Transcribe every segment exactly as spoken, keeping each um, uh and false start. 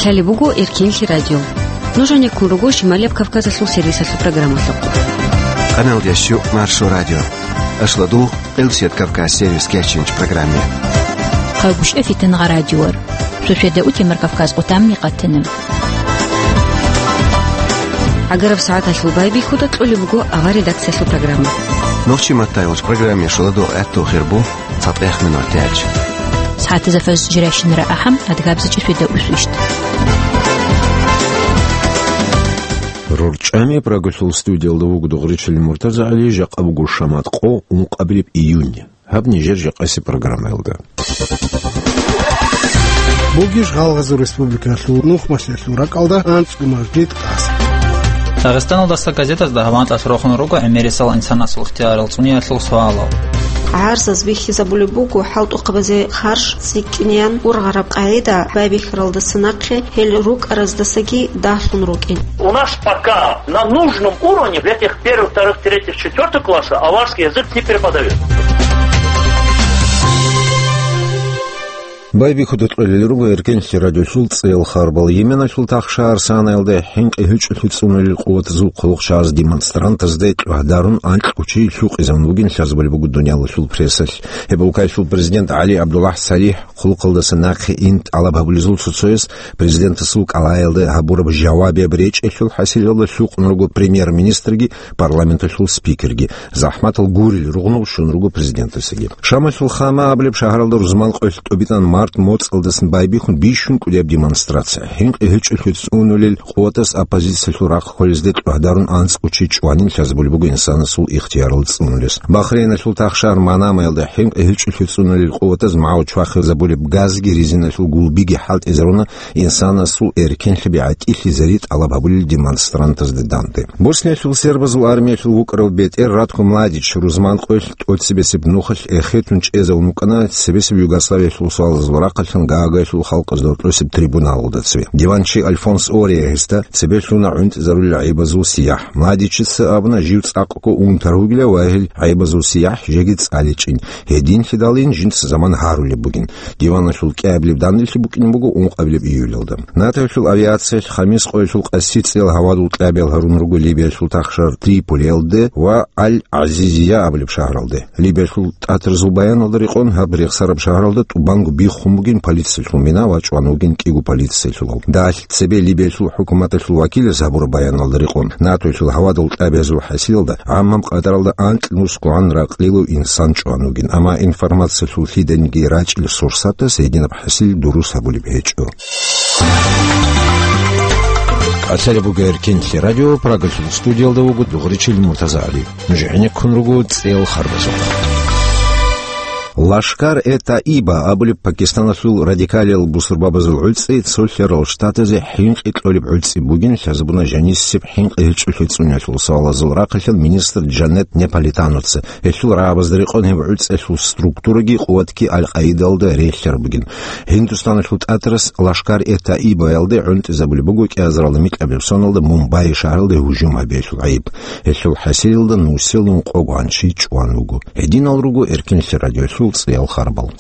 Лъалеб буго Эркенлъи радио. Нуж гьанеккун руго Шималияб Кавказалъул сервисалъул программалъухъ. Къаналдияс щу Маршо радио. Ашлодугъ, Къилсият Кавказ сервис кечинч программе. Къагушев Фитангъа радиор. Суседа утемар Кавказ къутамни къатана. ГӀагараб сагӀаталъул байбихьуда кьолеб буго авар редакциялъул программа. Нохчи маттайолч программе шуладугъ гӀатту хирбу. ЦатӀех минут тяч. СагӀатазда фаз жиращинара ахӀам, адгабзачи светда усвищт. РорчӀами Прагалъул студиялда вуго Дугъричилин МуртазагӀали, жакъа буго шамат къо, ункъабилеб июнь. Гьаб нижер жакъаси программаялда. Бугищ Гъалгъазул республикалъул нухмалъиялъул ракӀалда анцӀго мажгит къасд. Дагъистаналдаса газетазда гьабантӀалъ рохун руго гӀемерисел инсанасул ихтиярал цӀуниялъул суалал. ГӀарзаз бихьизабулеб буго хӀалтӀухъабазе харж цӀикӀкӀинеян ургъараб къагӀида байбихьаралдаса нахъе гьел рукӀараздасаги дагьлъун рукӀин. У нас пока на нужном уровне в этих первых, вторых, третьих, четвёртых классах аварский язык не преподают. Байбихьуда кьолел руго Эркенлъи радиолъул цӀеял харбал. Йеменалъул тахшагьар Санаялда хӀинкъи гьечӀолъи цӀунулел къуватазул хъулухъ чагӀаз демонстрантазда кьвагьдарун анкьго чи лъукъизавун вугин лъазабулеб буго дуниялалъул прессалъ. Гьеб улкаялъул президент ГӀали ГӀабдуллахӀ СалихӀ хъулухъалдаса нахъе ин тӀалаб гьабулезул цо-цояс президентасул кӀалаялда гьабураб жавабияб речӀелъул хӀасилалда лъукъун руго премьер-министрги парламенталъул спикерги. ЗахӀматал гурел ругънул щун руго президентасаги. Шамалъул Хама абулеб шагьаралда рузман къоялъ тӀубитӀан март моцӀалдасан байбихьун бищун кӀудияб демонстрация. ХӀинкъи гьечӀолъи цӀунулел къуватаз оппозициялъул рахъ кколезде кьвагьдарун анцӀго чи чӀванин лъазабулеб буго инсанасул ихтиярал цӀунулес. Бахрейналъул тахшагьар Манамаялда хӀинкъи гьечӀолъи цӀунулел къуватаз магӀу чвахизабулеб газги резиналъул гулбиги хӀалтӀизаруна инсанасул эркенлъи бигӀатӀилъизари тӀалаб гьабулел демонстрантазда данде. Босниялъул сербазул армиялъул вукӀарав бетӀер Ратко Младич рузман къоялъ тӀоцебесеб нухалъ эхетун чӀезавун вукӀана цебесеб Югославиялъул суалазул рахъалъан Гаагаялъул халкъазда гьоркьосеб трибуналалда цеве. Диванчи Альфонс Ория гьесда цебе лъуна гӀунтӀизарулел гӀайибазул сияхӀ. Младичица абуна, жив цӀакъго унтарав вугила ва гьел гӀайибазул сияхӀ жеги цӀаличӀин. Гьединлъидалин жинца заман гьарулеб бугин. Диваналъул кӀиабилеб данделъи букӀин буго ункъабилеб июлалда. НАТОялъул авиациялъ хамис къоялъул къаси цӀеял гьавадул кьабиял гьарун руго Либиялъул тахшар Триполиялде ва Аль-ГӀазизия абулеб шагьаралде. Либиялъул тӀатарзул баяналда рекъон гьаб рехсараб шагьаралда тӀубанго биххун бугин полициялъул мина ва чӀван вугин кӀиго полициялъулав. Дагьалъ цебе Либиялъул хӀукуматалъул вакилас гьабураб баяналда рекъон, НАТОялъул гьавадул кьабиязул хӀасилалда гӀаммаб къадаралда анкь нусгогӀан ракълилав инсан чӀван вугин, амма информациялъул лъиданиги рачӀил сурсатас гьединаб хӀасил дурус гьабулеб гьечӀо. Лъалеб буго Эркенлъи радио, Прагалъул студиялда вуго Дугъричил МуртазагӀали. Нуж гӀенеккун руго цӀеял харбазухъ. Лашкар-э-Таиба абулеб Пакистаналъул радикалиял бусурбабазул гӀуцӀи цолъарал штатазе хӀинкъи кьолеб гӀуцӀи бугин лъазабуна жанисеб хӀинкъи гьечӀолъи цӀуниялъул суалазул рахъалъан министр Джанет Наполитаноца. Гьелъул рагӀабазда рекъон гьеб гӀуцӀиялъул структураги къуватги Аль-Къаидалда релълъараб бугин. Гьиндустаналъул тӀатарас Лашкар-э-Таибаялде гӀунтӀизабулеб буго кӀиазаралда микьабилеб соналда Мумбай шагьаралде гьужум гьабиялъул гӀайиб. Гьелъул хӀасилалда нусилун къо гванчи чӀван вуго. Гьединал руго Эркенлъи радиолъул цӀеял харбал.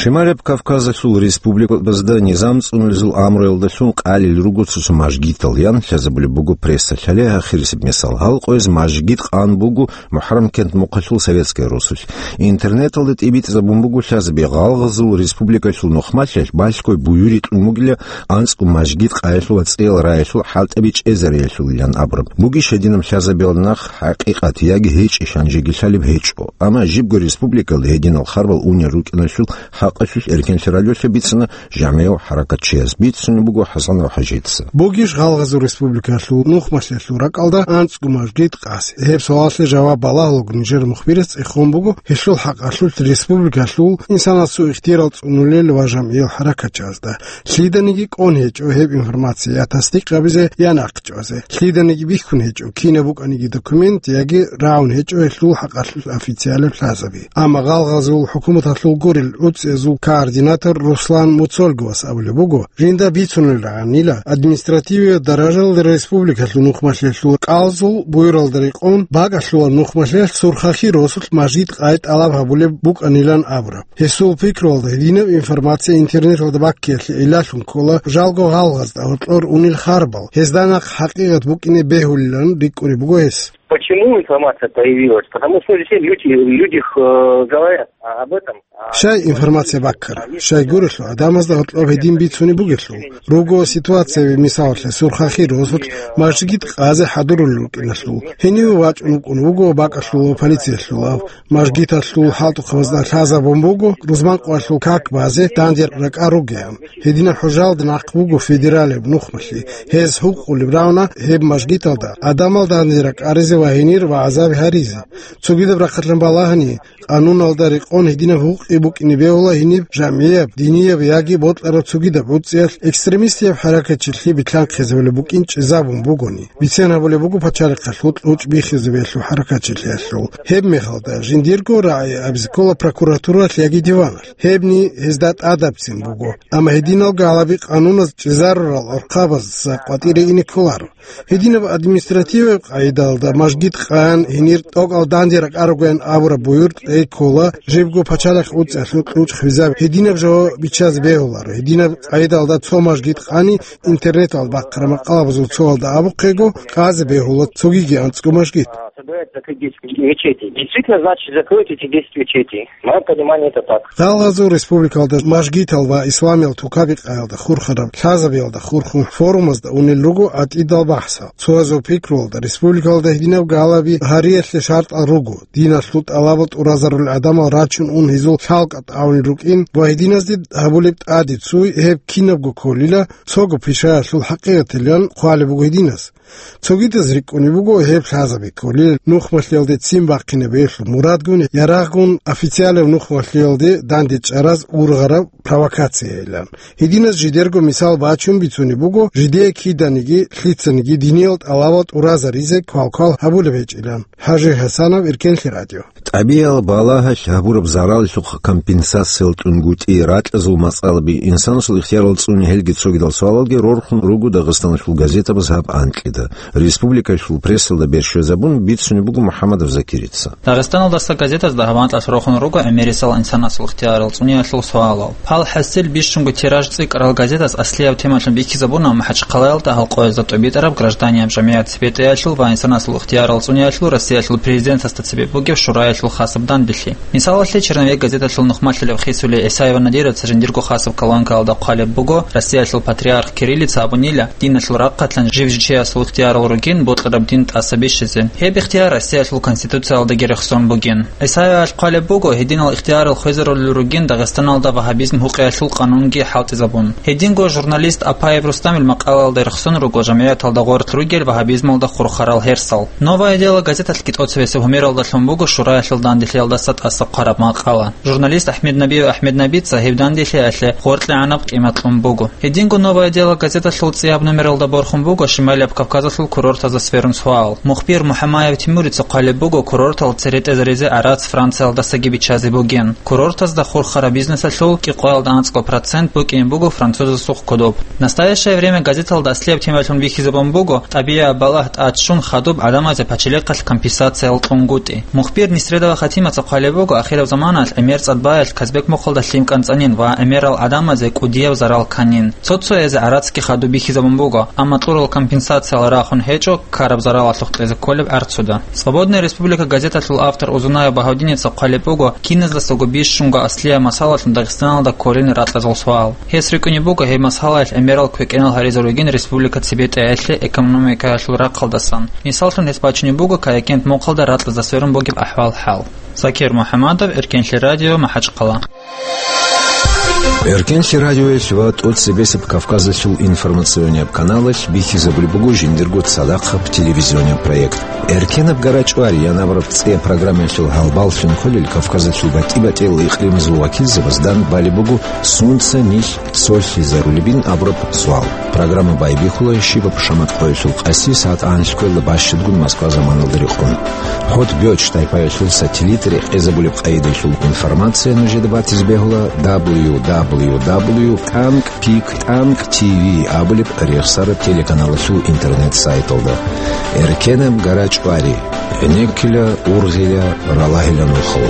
Шималаб Кавказалъул республикабазда низам цӀунулезул амруялдалъун къалел руго цо-цо мажгитал, ян лъазабулеб буго прессалъ. Гьале ахирисеб мисал. Гьал къояз мажгит къан буго МухӀаррам кент-мухъалъул Советская Русулъ. Интернеталда тӀибитӀизабун буго лъазаби, Гъалгъазул республикалъул нухмалъиялъ балъгой буюри кьун бугила анцӀго мажгит къаялъул ва цӀеял раялъул хӀалтӀаби чӀезариялъулилан абураб. Бугищ гьединаб лъазабиял нах хӀакъикъат яги гьечӀищ, гьанжеги лъалеб гьечӀо. Амма жибго республикалда гьединал харбал унел рукӀиналъул хӀакъалъулъ Эркенлъи радиолъа бицана жамгӀияв хӀаракатчияс, бицунеб буго ХӀасанов ХӀажица. Бугищ Гъалгъазул республикалъул нухмалъиялъул ракӀалда анцӀго мажгит къаси? Гьеб суалалъе жаваб балагьулго нижер мухбирас цӀехон буго гьелъул хӀакъалъулъ республикалъул инсанасул ихтиярал цӀунулел ва жамгӀиял хӀаракатчиязда. Лъиданиги кӀон гьечӀо гьеб информация я тасдикъ гьабизе, я нахъчӀвазе. Лъиданиги бихьун гьечӀо кинаб букӀаниги документ, яги рагӀун гьечӀо гьелъул хӀакъалъулъ официалаб лъазаби. Амма Гъалгъазул хӀукуматалъул гурел гӀуцӀиязул Зул координатор Руслан Муцольговас абулеб буго, жинда бицунел рагӀанила административияб даражалда республикалъул нухмалъиялъул кӀалзул буюралда рекъон бакӀалъулаб нухмалъиялъ Сурхахир росулъ мажгит къай тӀалаб гьабулеб букӀанилан абураб. Гьесул пикруялда, гьединаб информация интернеталда баккиялъе гӀиллалъун ккола жалго гъалгъазда гьоркьор унел харбал, гьезда нахъ хӀакъикъат букӀине бегьулилан рикӀкӀунеб буго гьес. Почему информация появилась? Потому что все люди, люди, э, говорят об этом. Щай информация баккара? Щай гурелъул, гӀадамазда гьоркьоб гьедин бицунеб бугелъул. Руго ситуация, мисалалъе, Сурхахир росулъ мажгит къазе хӀадурулел рукӀиналъул. Гьениве вачӀун вукӀун вуго бакӀалъулав полициялъулав. Мажгиталъул хӀалтӀухъабазда лъазабун буго рузманкъоялъул как базе данде ракӀар ругеян. Гьединаб хӀужалда нахъ буго федералияб нухмалъи. Гьез гьукъулеб равна гьеб мажгиталда гӀадамал данде ракӀаризе ва гьенир вагӀзаби гьаризе. Цогидаб рахъалъан балагьани, къануналда рекъон гьединаб гьукъи букӀине бегьула гьениб жамгӀияб, динияб яги бокьараб цогидаб гӀуцӀиялъ экстремистияб хӀаракатчилъи битлъанхъизабулеб букӀин чӀезабун бугони. Бицен гьабулеб буго пачалихъалъул кьучӀ биххизабиялъул хӀаракатчилъиялъул. Гьеб мехалда жиндирго рагӀи абизе ккола прокуратуралъ яги диваналъ. Гьебни гьезда тӀадабцин буго. Амма гьединал гьалаби къануназ чӀезарурал гӀурхъабазда къватӀире ине кколаро. Гьединаб административаб къагӀидалда мажгит къан гьенир тӀокӀал данде ракӀар ругоян абураб буюр тӀей ккола, жибго пачалихъ гӀуцӀиялъул кьучӀ хвезаб. Гьединаб жо биччазе бегьуларо. Гьединаб къагӀидалда цо мажгит къани интернеталда бахъараб макъалабазул цоялда абухъего, къазе бегьула цогиги анцӀго мажгит. Собирать закрыть десять мечетей. Действительно, значит, закроют эти десять мечетей. Мое понимание, это так. Гъалгъазул республикалда мажгитал ва исламиял тукаби къаялда хурхараб лъазабиялда хурхун форумазда унел руго гӀатӀидал бахӀсал. Цоязул пикруялда, республикалда гьединаб гьалаби гьариялъе шартӀал руго, диналъул тӀалабал тӀуразарулел гӀадамал рачун ун гьезул лъалкӀа тӀагӀунел рукӀин ва гьединазде гьабулеб тӀаде цуй гьеб кинабго кколила, цого пишаялъул хӀакъикъатилан хъвалеб буго гьединаз. Цогидаз рикӀкӀунеб буго гьеб лъазаби кколел нухмалъиялде ццин бахъинабиялъул мурадгун, ярагъгун официалав нухмалъиялде дандечӀараз ургъараб провокациялилан. Гьединаз жидерго мисал бачун бицунеб буго, жидее киданиги лъицаниги диниял тӀалабал тӀуразаризе квалквал гьабулеб гьечӀилан. ХӀажи ХӀасанов, Иркенлъи радио. ТӀабигӀал балагьалъ гьабураб заралалъухъ компенсациял тӀунгутӀи, ракьазул мацӀалби, инсанасул ихтиярал цӀуни, гьелги цогидал суалалги рорхун руго Дагъистаналъул газетабаз гьаб анкьида. Республикалъул прессалда берщвезабун бицунеб буго МухӀаммадов Закирица. Дагъистаналдаса газетазда гьаб анкьалъ рорхун руго гӀемерисел инсанасул ихтиярал цӀуниялъул суалал. Гьал хӀасил бищунго тираж цӀикӀкӀарал газетаз аслияб темалъун бихьизабуна МахӀачхъалаялда гьалкъоязда тӀубитӀараб гражданияб жамгӀият цебетӀеялъул ва инсанасул ихтиярал цӀуниялъул Россиялъул президентасда цебе бугеб шураялъул хасаб дандилъи. Мисалалъе, Черновик газеталъул нухмалъилев Хисули ГӀисаева Надировца жиндирго хасаб колонкаялда хъвалеб буго, Россиялъул патриарх Кириллица абунила, диналъул рахъалъан жив-жив чиясул ихтиярал ругин бокьараб дин тӀаса бищизе. Гьеб ихтияр Россиялъул Конституциялдаги рехсон бугин. ГӀисаевалъ хъвалеб буго, гьединал ихтиярал хвезарулел ругин Дагъистаналда вагьабизм гьукъиялъул къанунги хӀалтӀизабун. Гьединго журналист Апаев Рустамил макъалаялда рехсон руго жамгӀияталда гъорлъ ругел вагьабизмалда хурхарал гьерсал. «Новое дело» газеталъги тӀоцебесеб гьумералдалъун буго шураялъул дандилъиялдаса тӀаса хъвараб макъала. Журналист Ахмеднабиев Ахмеднабица гьеб дандилъиялъе гъоркьегӀанаб къимат кьун буго. Гьединго «Новое дело» газеталъул цӀияб номералда борхун буго Шималияб Кавказалъул курортазда сверун суал. Мухбир МухӀамаев Тимурица хъвалеб буго, курортал цере тӀезаризе гӀарац Франциялдасаги биччазе бугин. Курортазда хурхараб бизнесалъул кӀикъоялда анцӀго процент букӀине буго французасухъ кодоб. «Настоящее время» газеталда аслияб темалъун бихьизабун буго тӀабигӀаб балагь тӀад щун хадуб гӀадамазе пачалихъалъ компенсациял кьунгутӀи. Мухбир Несредова Хатимаца хъвалеб буго, ахираб заманалъ гӀемер цӀадбаялъ Казбек мухъалда лъим кӀанцӀанин ва гӀемерал гӀадамазе кӀудияб зарал кканин. Цо-цоязе гӀарацги хадуб бихьизабун буго, амма кьурал компенсациял рахун гьечӀо ккараб заралалъухъ кьезе кколеб гӀарцуда. «Свободная республика» газеталъул автор Узунаев Багьавдиница хъвалеб буго, киназдасаго бищунго аслияб масъалалъун Дагъистаналда кколин ракьазул суал. Гьес рикӀкӀунеб буго гьеб масъалаялъ гӀемерал квекӀинал гьаризарулгин республика цебетӀеялъе экономикаялъул рахъалдасан. Мисаллъун гьес бачунеб буго Каякент мухъалда ракьазда сверун бугеб ахӀвал-хӀал. Закир МухӀамадов, Эркенлъи радио, МахӀачхъала. Эркенлъи радиоялъ ва тӀоцебесеб Кавказалъул информационияб каналалъ бихьизабулеб буго жиндирго цадахъаб телевизионияб проект. «Эркенаб гарачӀвари» янабураб цӀияб программаялъул гьалбаллъун кколел Кавказалъул батӀи-батӀиял икълимазул вакилзабаз дандбалеб буго «Сунца нилъ цолъизарулебин?» абураб суал. Программа байбихьула щибаб шамат къоялъул къаси сагӀат анлъго бащадгун Москва заманалда рекъон. ХӀотӀ-бётӀ тайпаялъул сателлит рекъезабулеб къайдаялъул информация нужеда батизе бегьула дабл ю дабл ю дабл ю тӀанкӀ пик тӀанкӀ ти ви абулеб рехсараб телеканалалъул интернет-сайталда. Эркенаб гарачӀвари, гӀенеккила, ургъила, ралагьила нухал.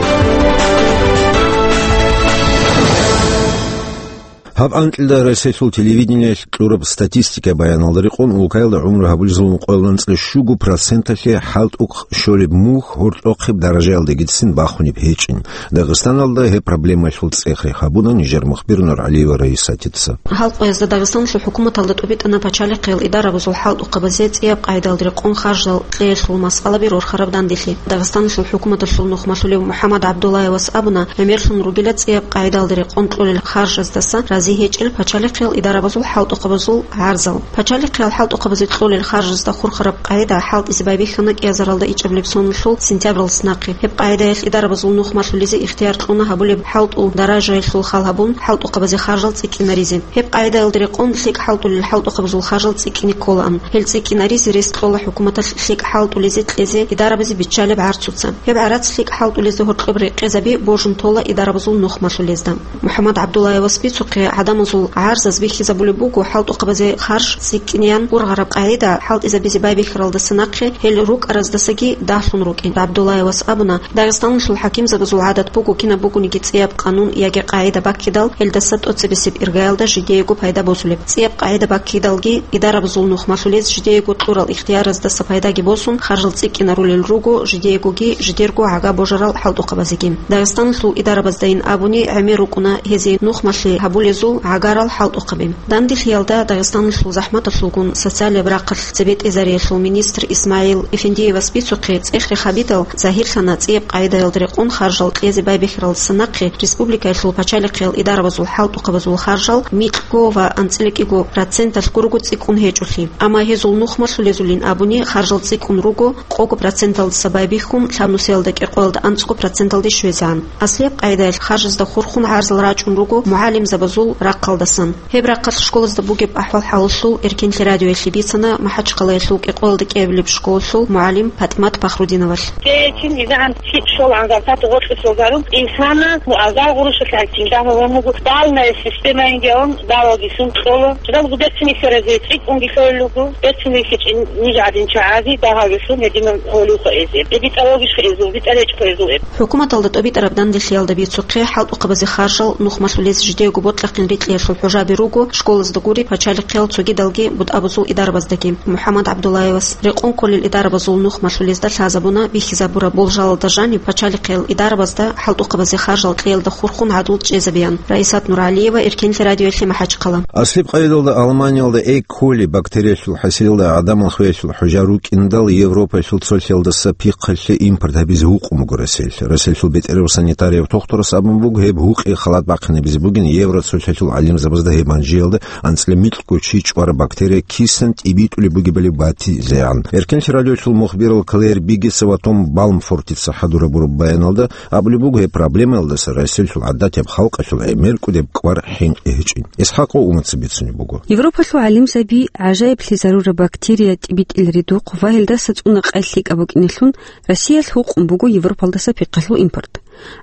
Гьаб анкьида Россиялъул телевидениялъ кьураб статистика баяналда рекъон, улкаялда гӀумру гьабулезул мукъоялда анцӀила щуго проценталъе хӀалтӀухъ щолеб мухь гьоркьохъеб даражаялдегицин бахунеб гьечӀин. Дагъистаналда гьеб проблемаялъул цӀех-рех гьабуна нижер мухбир НургӀалиева Раисатица. Гьал къоязда Дагъистаналъул хӀукуматалда тӀубитӀана пачалихъиял идарабазул хӀалтӀухъабазе цӀияб къайдаялда рекъон харжал кьеялъул масъалаби рорхараб данделъи. Дагъистаналъул хӀукуматалъул нухмалъулев МухӀаммад ГӀабдуллаевас абуна, гӀемерлъун ругила цӀияб къайдаялда рекъон кьолел харжаздаса рази гьечӀел пачалихъиял идарабазул хӀалтӀухъабазул гӀарзал. Пачалихъиял хӀалтӀухъабазе кьолел харжазда хурхараб къайда хӀалтӀизе байбихьана кӀиазаралда ичӀабилеб соналъул сентябралдаса нахъе. Гьеб къайдаялъ идарабазул нухмалъулезе ихтияр кьуна гьабулеб хӀалтӀул даражаялъул хал гьабун, хӀалтӀухъабазе харжал цӀикӀкӀинаризе. Гьеб къайдаялда рекъон лъикӀ хӀалтӀулел хӀалтӀухъабазул харжал цӀикӀкӀине кколаан. Гьел цӀикӀкӀинаризе рес кьола хӀукуматалъ лъикӀ хӀалтӀулезе кьезе идарабазе биччалеб гӀарцуца. Гьеб гӀарац лъикӀ хӀалтӀулезда гьоркьоб рекъезаби божун тола идарабазул нухмалъулезда. МухӀаммад ГӀабдуллаевас бицухъе, гӀадамазул гӀарзаз бихьизабулеб буго хӀалтӀухъабазе харж цӀикӀкӀинеян ургъараб къагӀида хӀалтӀизабизе байбихьаралдаса нахъе гьел рукӀараздасаги дагьлъун рукӀин. ГӀабдуллаевас абуна, Дагъистаналъул хӀакимзабазул гӀадат буго кинаб бугониги цӀияб къанун яги къагӀида баккидал, гьелдаса тӀоцебесеб иргаялда жидеего пайда босулеб. ЦӀияб къагӀида баккидалги, идарабазул нухмалъулез жидеего кьурал ихтияраздаса пайдаги босун, харжал цӀикӀкӀинарулел руго жидеегоги жидерго гӀага божарал хӀалтӀухъабазеги. Дагъистаналъул идарабаздайин абуни гӀемер рукӀуна гьезие нухмалъи гьабулезул гӀагарал хӀалтӀухъаби. Данделъиялда Дагъистаналъул захӀматалъулгун социалияб рахъалъ цебетӀезариялъул министр ИсмагӀил Эфендиевас бицухъе, цӀех-рех гьабидал, загьирлъана цӀияб къагӀидаялда рекъон харжал кьезе байбихьаралдаса нахъе республикаялъул пачалихъиял идарабазул хӀалтӀухъабазул харжал микьго ва анцӀила кӀиго проценталъ гурого цӀикӀкӀун гьечӀолъи. Амма гьезул нухмалъулезулин абуни харжал цӀикӀкӀун руго къого проценталдаса байбихьун, лъабнусиялда кӀикъоялда анцӀго проценталде щвезегӀан. Аслияб къагӀидаялъ харжазда хурхун гӀарзал рачӀун руго мугӀалимзабазул рахъалдасан. Гьеб рахъалъ школазда бугеб ахӀвал-хӀалалъул Эркенлъи радиоялъе бицана МахӀачхъалаялъул кӀикъоялда кӀиабилеб школалъул мугӀалим ПатӀимат Пахрудиновалъ. Те чин изагӀан цӀикӀ щолгӀан зарплата гъоркье лъозарун, инсана азар гъурущалъ гьанкин дагьаб гьамугу балная системаинги авун, балалги лъун кьола. Жидалго берцинихьаразе цӀикӀкӀунги лъолел руго, берцинихьичӀин ниж гӀадин чагӀази дагьабилъун гьединал гьолевха эзе. ЭбитӀа вогищха эзул, битӀа речӀха эзул эб. ХӀукуматалда тӀобитӀараб данделъиялда бицухъе, хӀалтӀухъабазе харжал нухмалъулез жидеего бокьахъин рикьиялъул хӀужаби руго школазда гури, пачалихъиял цогидалги бутӀабазул идарабаздаги. МухӀаммад ГӀабдуллаевас рекъон кколел идарабазул нухмалъулезда лъазабуна бихьизабураб болжалалда жаниб пачалихъиял идарабазда хӀалтӀухъабазе харжал кьеялда хурхун гӀадлу чӀезабеян. Раисат НургӀалиева, Эркенлъи радиоялъе, МахӀачхъала. Аслияб къайдалда Алманиялда Э. коли бактериялъул хӀасилалда гӀадамал хвеялъул хӀужа рукӀиндал Европаялъул цолъялдаса пихъалъе импорт гьабизе гьукъун буго Россиялъ. Россиялъул бетӀерав санитарияб тухтурас абун буго, гьеб гьукъи халат бахъинабизе бугин евроцолъялъул гӀалимзабазда гьеб манжиялда анцӀила микьго чи чӀвараб бактерия кисан тӀибитӀулеб бугебали батизегӀан. Эркенлъи радиолъул мухбирал Клэр Биггеса ва Том Балмфортица хӀадурабураб баяналда абулеб буго, гьеб проблемаялдаса Россиялъул гӀадатияб халкъалъул гӀемеркӀудеб кӀвар хӀинкъи гьечӀин. ИсхӀакъов Умаца бицунеб буго. Европалъул гӀалимзаби гӀажаиблъи зарураб бактерия тӀибитӀил ридухъ ва гьелдаса цӀуна къай лъикӀаб букӀинелъун, Россиялъ гьукъун буго Европалдаса пихъалъул импорт.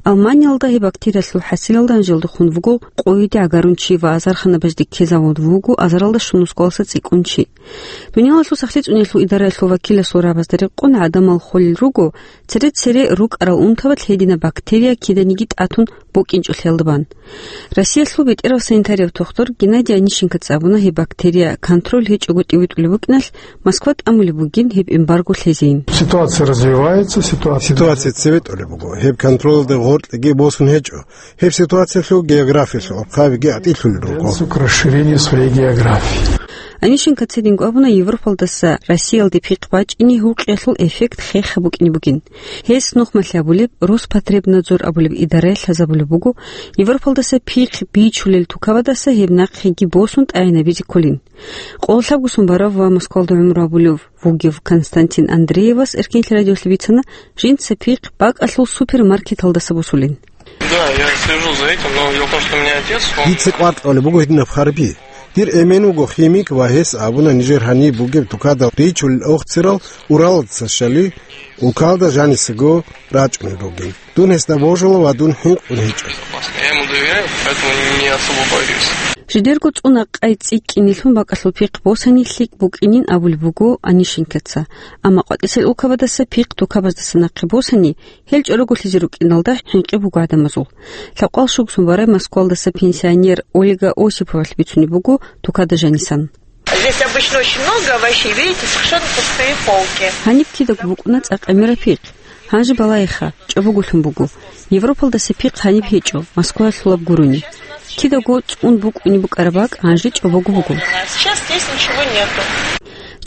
Алманиялда гьеб бактериялъул хӀасилалда гьанжелдехун вуго къойиде гӀагарун чи ва азарханабазде ккезавун вуго азаралда щунусголаса цӀикӀкӀун чи. Дуниялалъул сахлъи цӀуниялъул идараялъул вакиласул рагӀабазда рекъон гӀадамал холел руго цере-цере рукӀарал унтабалъ гьединаб бактерия киданиги тӀатун букӀинчӀолъиялда бан. Россиялъул бетӀерав санитарияб тухтур Геннадий Онищенкоца абуна, гьеб бактерия контроль гьечӀого тӀибитӀулеб букӀиналъ, Москва тӀамулеб бугин гьеб эмбарго лъезейин. Ситуация развивается, ситуация Ситуация цебетӀулеб буго. Гьеб контролалда гъоркьеги босун гьечӀо. Гьеб ситуациялъул географиялъул хъабиги гӀатӀилъулел руго. К расширению своей географии. Онищенкоца гьединго абуна, Европалдаса Россиялде пихъ бачӀине гьукъиялъул эффект хеха букӀине бугин. Гьес нухмалъи абулеб, Роспотребнадзор абулеб идараялъ лъазабулеб буго, Европалдаса пихъ бичулел тукабаздаса гьеб нахъеги босун тӀагӀинабизе кколин. Къоло лъабго сон барав ва Москвалда гӀумру гьабулев вугев Константин Андреевас Эркенлъи радиолъе бицана, жинца пихъ бакӀалъул супермаркеталдаса босулин. Да, я слежу за этим, но дело в том, что у меня отец, он Дица къватӀалеб буго гьединаб хъарби. Дир эмен вуго химик ва гьес абуна нижер гьаниб бугеб тукада ричулел охцерал Уралдаса щали, улкалда жанисаго рачӀунел ругин. Дун гьесда божула ва дун хӀинкъун гьечӀо. Я ему доверяю, поэтому не особо боюсь. Жидерго цӀуна къай цӀикӀкӀинелъун бакӀалъул пихъ босани лъикӀ букӀинин абулеб буго Онищенкоца. Амма къватӀисел улкабаздаса пихъ тукабаздаса нахъе босани, гьел чӀороголъизе рукӀиналда хӀинкъи буго гӀадамазул. Лъабкъоялда щуго сон барай Москвалдаса пенсионер Ольга Осиповалъ бицунеб буго тукада жанисан. Здесь обычно очень много овощей, видите, совершенно пустые полки. Гьаниб кидаго букӀуна цӀакъ гӀемераб пихъ. Гьанже балагьеха, чӀобоголъун буго. Европалдаса пихъ гьаниб гьечӀо, Москваялъулаб гурони. Кидаго цӀун букӀунеб букӀараб бакӀ гьанже чӀобого буго. Сейчас здесь ничего нету.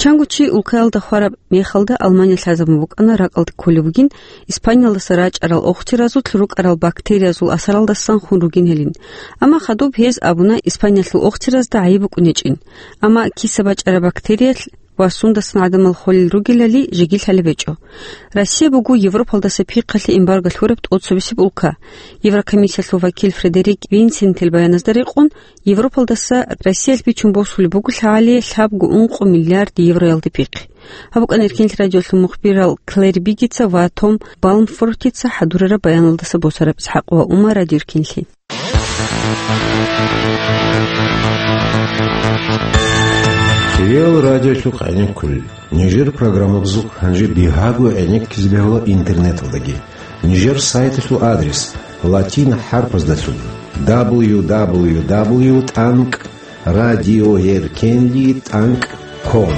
Чанго чи улкаялда хвараб мехалда Алмания лъазабун букӀана ракӀалде кколеб бугин, Испаниялдаса рачӀарал охцеразулъ рукӀарал бактериязул асаралдасан хун ругин гьелин. Амма хадуб гьез абуна Испаниялъул охцеразда гӀайиб букӀун гьечӀин. Амма киса бачӀараб бактериялъ ва сундасан гӀадамал холел ругелали жеги лъалеб гьечӀо. Россия буго Европалдаса пихъалъе эмбарго лъураб тӀоцебесеб улка. Еврокомиссиялъул вакил Фредерик Винсентел баяназда рекъон, Европалдаса Россиялъ бичун босулеб буго лъагӀалие лъабго ункъо миллиард евроялде пихъ. Гьаб букӀана Эркенлъи радиолъул мухбирал Клэр Бигица ва Том Балмфортица хӀадурараб баяналдаса босараб. ИсхӀакъ ва Умар, Радио Эркенлъи. Кирил радиолъухъ гӀенеккулел. Нижер программабазухъ гьанже бигьаго гӀенеккизе бегьула интернеталдаги. Нижер сайталъул адрес латин хӀарпаздалъун: дабл ю дабл ю дабл ю тӀанкӀ радиоэркенли тӀанкӀ ком.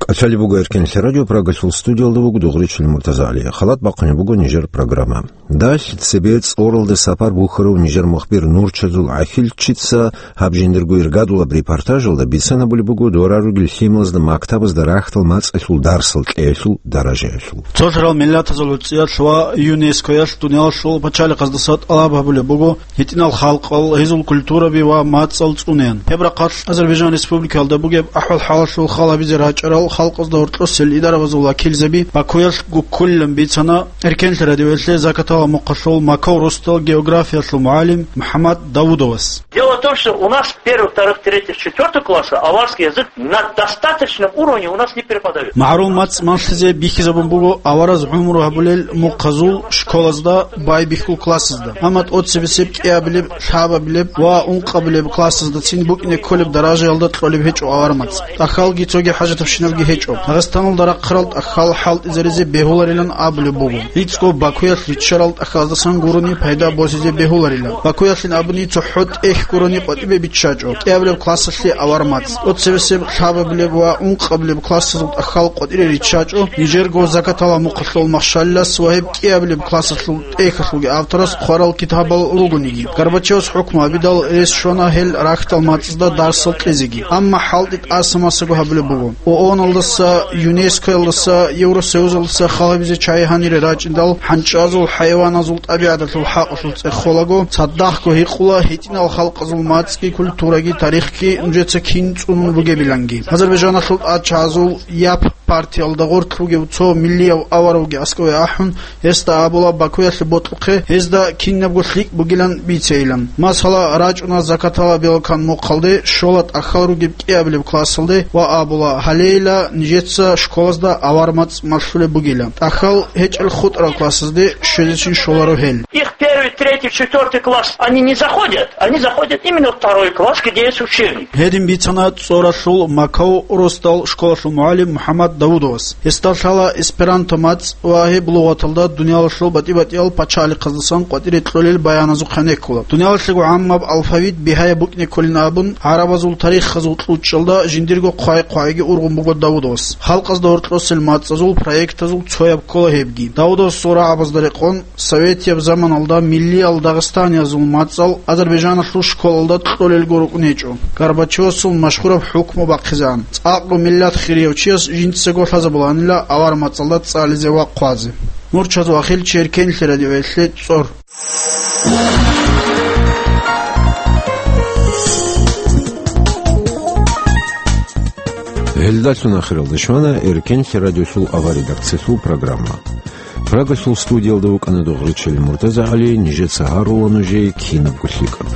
КӀалъалеб буго Эркенлъи радио, Прагалъул студиялда вуго Дугъричил МуртазагӀали. Халат бахъунеб буго нижер программа. Далъ цебе цӀоралде сапар бухьарав нижер мухбир Нурчазул ГӀахьилчица гьаб жиндирго иргадулаб репортажалда бицана були буго дора ругел лъималазда мактабазда рахьдал мацӀалъул дарсал кьеялъул даражаялъул. Цолъарал миллатазул гӀуцӀиялъ ва ЮНЕСКОялъ дуниялалъул пачалихъаздаса тӀалаб гьабулеб буго гьитӀинал халкъал, гьезул культураби ва мацӀал цӀунеян. Гьеб рахъалъ Азербайджан Республикаялда бугеб ахӀвал-хӀалалъул халабизе рачӀарал халкъазда гьоркьосел идарабазул вакилзаби Бакуялъ гуккулилан бицана Эркенлъи радиоялъе Закатала мухъалъул макав росдал географиялъул мугӀалим МухӀаммад Давудовас. Дело в том, что у нас первых, вторых, третьих, четвёртых классах аварский язык на достаточном уровне у нас не преподают. МагӀарул мацӀ малъизе бихьизабун буго авараз гӀумру гьабулел мухъазул школазда байбихьул классазда. Амма тӀоцебесеб, кӀиабилеб, лъабабилеб ва ункъабилеб классаздацин букӀине кколеб даражаялда кьолеб гьечӀо авар мацӀ. ТӀахьалги цоги хӀажатабщиналги гьечӀо. Дагъистаналда рахъарал тӀахьал хӀалтӀизаризе бегьуларилан абулеб буго. ГӀицӀго Бакуялъ риччарал тӀахьаздасан гурони пайда босизе бегьуларила. Бакуялъин абуни цохӀо тӀехь гурони къватӀибе биччачӀо кӀиабилеб классалъе авар мацӀ. ТӀоцебесеб, лъабабилеб ва ункъабилеб классазул тӀахьал къватӀире риччачӀо нижерго Закатала мухъалъул Машалилас ва гьеб кӀиабилеб классалъул тӀехьалъулги авторас хъварал китабал ругониги. Горбачевас хӀукму гьабидал рес щвана гьел рахьдал мацӀазда дарсал кьезеги. Амма хӀалтӀи тӀаса-масаго гьабулеб буго. ООНалдаса, ЮНЕСКОялдаса, Евросоюзалдаса халабизе чагӀи гьанире рачӀиндал, хӀанчӀазул, хӀайваназул, тӀабигӀаталъул хӀакъалъулъ цӀехолаго, цадахъго гьикъула гьитӀинал халкъазул мацӀги, культураги, тарихги нужеца кин цӀунун бугебиланги. Азербайджаналъул тӀадчӀазул Яп партиялда гъорлъ ругев цо миллияв аваравги аскӀове ахӀун, гьесда абула Бакуялъе бокьухъе, гьезда кинабго лъикӀ бугилан бицейилан. Масала, рачӀуна Закатала Белкан мухъалде, щола тӀахьал ругеб кӀиабилеб классалде ва абула: «Гьалейила нижеца школазда авар мацӀ малъулеб бугила. ТӀахьал гьечӀел хутӀарал классазде щвезечин щоларо гьел». Их первый, третий, четвёртый класс, они не заходят, они заходят именно во второй класс, где есть учебник. Гьедин бицана ЦӀоралъул макав росдал школалъул мугӀалим МухӀаммад Давудовас. Гьесда лъала эсперанто мацӀ ва гьеб лугъаталда дуниялалъул батӀи-батӀиял пачалихъаздасан къватӀире кьолел баяназухъ гьенеккула. Дуниялалъего гӀаммаб алфавит бигьаяб букӀине кколин абун, гӀарабазул тарихазул кьучӀалда жиндирго хъвай-хъвайги ургъун буго Давудовас. Халкъазда гьоркьосел мацӀазул проектазул цояб ккола гьебги. Давудовасул рагӀабазда рекъон, советияб заманалда Миллиял дагъистаниязул мацӀал Азербайжаналъул школалда кьолелго рукӀун гьечӀо. Горбачевасул машгьураб хӀукму бахъизегӀан, цӀакъго миллат хирияв чияс жинцаго лъазабуланила авар мацӀалда цӀализе ва хъвазе. Нур Чазва, Ахил Черкенлъи радиоялъе цӀор. Гьелдалъун ахиралда щвана Эркенлъи радиосул авар редакциялъул программа. Прагалъул студиялда вукӀана Догъричил МуртазагӀали, нижеца гьарула нужее кинабго лъикӀаб.